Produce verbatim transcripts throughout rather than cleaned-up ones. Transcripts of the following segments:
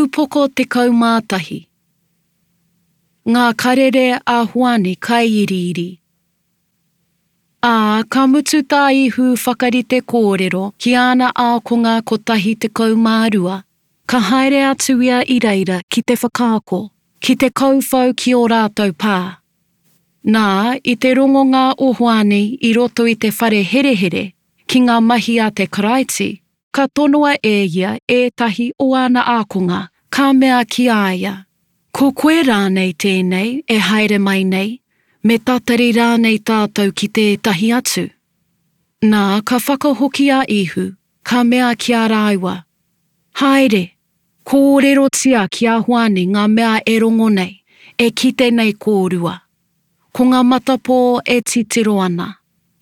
Upoko tekau mā tahi. Ngā karere a Hoani Kaiiriiri. Ā, ka mutu tā Ihu whakarite kōrero ki āna ākonga kotahi tekau mā rua, ka haere atu ia i reira ki te whakaako, ki te kauwhau ki ō rātou pā. Nā, i te rongonga o Hoani i roto i te whare herehere ki ngā mahi a te Karaiti, ka tonoa e ia ētahi o āna ākonga, ka mea ki a ia, Ko koe rānei tēnei e haere mai nei, me tatari rānei tātou ki tētahi atu? Nā, ka whakahoki a Ihu, ka mea ki a rāua, Haere, kōrerotia ki a Hoani ngā mea e rongo nei, e kite nei kōrua. Ko ngā matapō e titiro ana,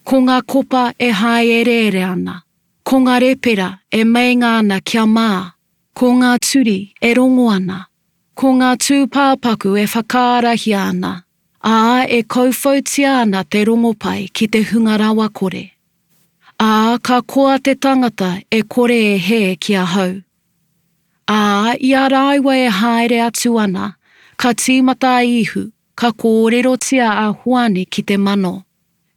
ko ngā kopa e hāereere ana, ko ngā repera e meinga ana kia mā, ko ngā turi e rongo ana, ko ngā tūpāpaku e whakaarahia ana, ā, e kauwhautia ana te rongopai ki te hunga rawakore. Ā, ka koa te tangata e kore e hē ki ahau. Ā, i a rāua e haere atu ana, ka tīmata a Ihu, ka kōrerotia a Hoani ki te mano.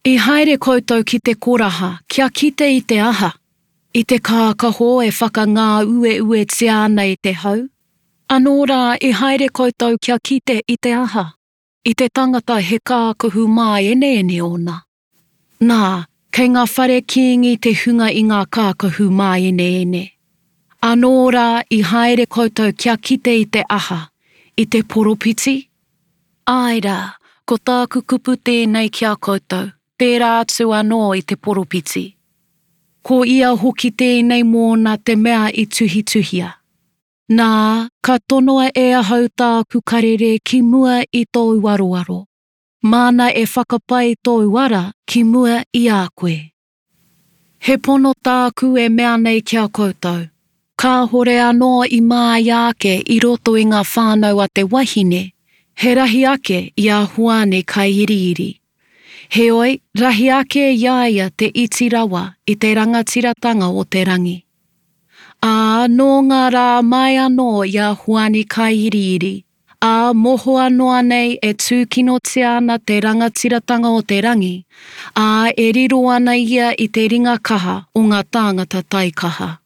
I haere koutou ki te koraha kia kite i te aha? I te kākaho e whakangāueuetia ana e te hau? Anō rā i haere koutou kia kite i te aha? I te tangata he kākahu māeneene ōna? Nā, kei ngā whare kīngi te hunga i ngā kākahu māeneene. Anō rā i haere koutou kia kite i te aha? I te poropiti? Āe rā, ko tāku kupu tēnei ki a koutou, tērā atu anō i te poropiti. Ko ia hoki tēnei mōna te mea i tuhituhia. Nā, ka tonoa e ahau tāku karere ki mua i tōu aroaro. Māna e whakapai tōu ara ki mua i a koe. He pono tāku e mea nei ki a koutou, kāhore anō i māia ake i roto i ngā whānau a te wahine, he rahi ake i a Hoani Kaiiriiri. Heoi, rahi ake i a ia te iti rawa i te rangatiratanga o te rangi. Ā, nō ngā rā mai anō i a Hoani Kaiiriiri, ā, mohoa noa nei e tūkinotia ana te rangatiratanga o te rangi, ā, e riro ana ia i te ringa kaha o ngā tāngata taikaha.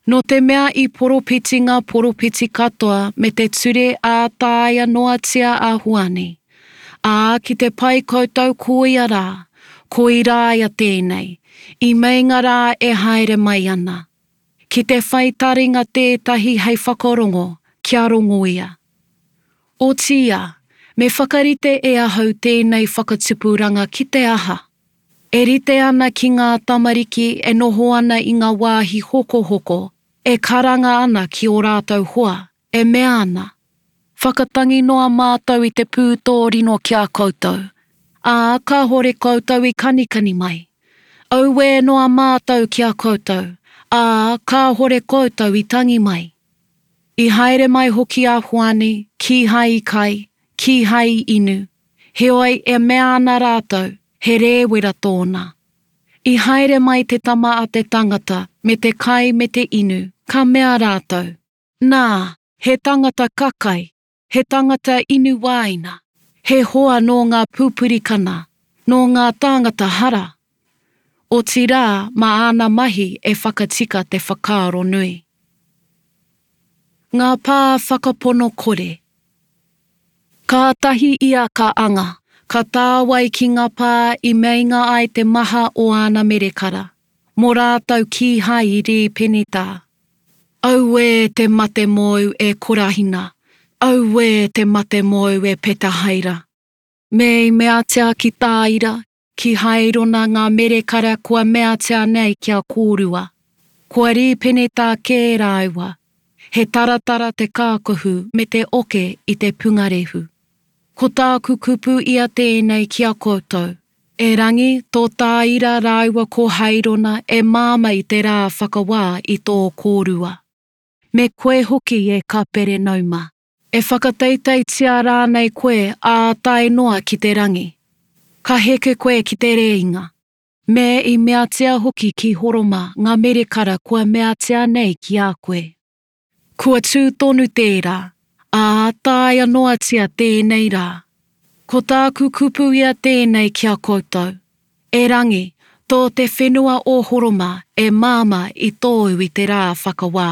Nō te mea i poropiti ngā poropiti katoa me te ture ā taea noatia a Hoani, ā, ki te pai koutou ko ia rā, ko Irāia tēnei, i meinga rā e haere mai ana. Ki te whai taringa tētahi hei whakarongo, kia rongo ia. Otiia, me whakarite e ahau tēnei whakatupuranga ki te aha? E rite ana ki ngā tamariki e noho ana i ngā wāhi hokohoko, e karanga ana ki ō rātou hoa, e mea ana, Whakatangi noa mātou i te pūtōrino ki a koutou, ā, kāhore koutou i kanikani mai. Auē noa mātou ki a koutou, ā, kāhore koutou i tangi mai. I haere mai hoki a Hoani, kīhai i kai, kīhai i inu, heoi e mea ana rātou, he rēwera tōna. I haere mai te Tama a te Tangata me te kai me te inu, ka mea rātou, Nā, he tangata kakai, he tangata inu wāina, he hoa nō ngā pupurikana, nō ngā tāngata hara. Otirā, mā āna mahi e whakatika te whakaaro nui. Ngā pā whakapono kore. Kātahi ia ka anga, ka tāwai ki ngā pā i meinga ai te maha o āna merekara, mō rātou kīhai i rīpenetā. Auē te mate mōu e Korahina! Auē te mate mōu e Petahaira! Me i meatia ki Tāira, ki Hairona ngā merekara kua meatia nei ki a kōrua. Kua rīpenetā kē rāua, he taratara te kākahu me te oke i te pungarehu. Ko tāku kupu ia tēnei ki a koutou, erangi tō Tāira rāua ko Hairona e māma i te rā whakawā i tō kōrua. Me koe hoki e Kaperenauma, e whakateiteitia rānei koe ā tae noa ki te rangi? Ka heke koe ki te rēinga. Me i meatia hoki ki Horoma ngā merekara kua meatia nei ki a koe. Kua tū tonu tērā, ā, taea noatia tēnei rā. Ko tāku kupu ia tēnei ki a koutou, Erangi, tō te whenua o Horoma e māmā i tōu i te rā whakawā.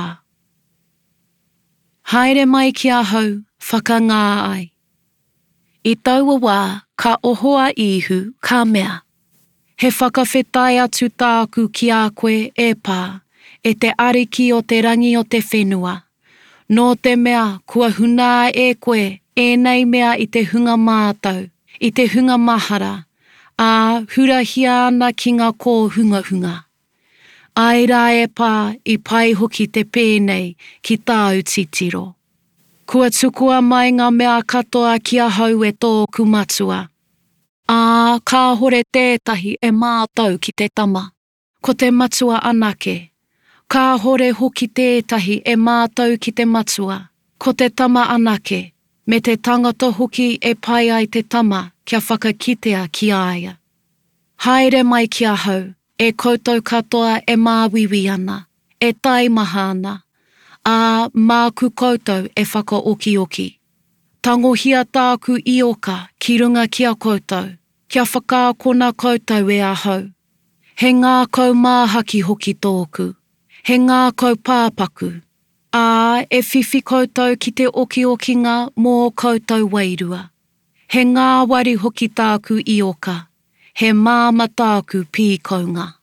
Haere mai ki ahau, whakangā ai. I taua wā, ka oho a Īhu, ka mea, He whakawhetai atu tāku ki a koe, e Pā, e te Ariki o te rangi o te whenua, nō te mea kua hunā e koe ēnei mea i te hunga mātau, i te hunga mahara, ā, hurahia ana ki ngā kōhungahunga. Āe rā e Pā, i pai hoki te pēnei ki tāu titiro. Kua tukua mai ngā mea katoa ki ahau e tōku Matua. Ā, kāhore tētahi e mātau ki te Tama, ko te Matua anake. Kāhore hoki tētahi e mātau ki te Matua, ko te Tama anake, me te tangata hoki e pai ai te Tama kia whakakitea ki a ia. Haere mai ki ahau, e koutou katoa e māuiui ana, e taimaha ana, ā, māku koutou e whakaokioki. Tangohia tāku ioka ki runga ki a koutou, kia whakaakona koutou e ahau. He ngākau māhaki hoki tōku, he ngākau pāpaku, ā, e whiwhi koutou ki te okiokinga mō ō koutou wairua. He ngāwari hoki tāku ioka, he māmā tāku pīkaunga.